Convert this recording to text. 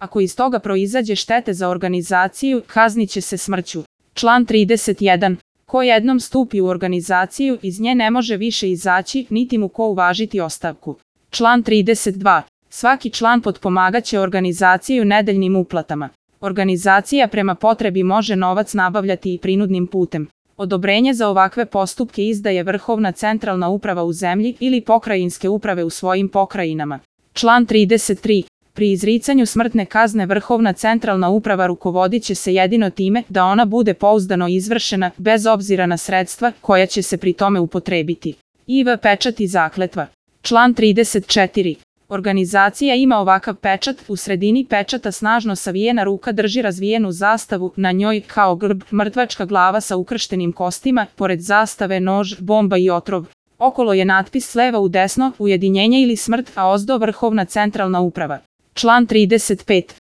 Ako iz toga proizađe štete za organizaciju, kaznit će se smrću. Član 31. Ko jednom stupi u organizaciju, iz nje ne može više izaći, niti mu ko uvažiti ostavku. Član 32. Svaki član potpomagaće organizaciju nedeljnim uplatama. Organizacija prema potrebi može novac nabavljati i prinudnim putem. Odobrenje za ovakve postupke izdaje Vrhovna centralna uprava u zemlji ili pokrajinske uprave u svojim pokrajinama. Član 33. Pri izricanju smrtne kazne Vrhovna centralna uprava rukovodit će se jedino time da ona bude pouzdano izvršena, bez obzira na sredstva koja će se pri tome upotrebiti. IV pečat i zakletva. Član 34. Organizacija ima ovakav pečat, u sredini pečata snažno savijena ruka drži razvijenu zastavu, na njoj, kao grb, mrtvačka glava sa ukrštenim kostima, pored zastave nož, bomba i otrov. Okolo je natpis s leva u desno, ujedinjenje ili smrt, a ozdo Vrhovna centralna uprava. Član 35.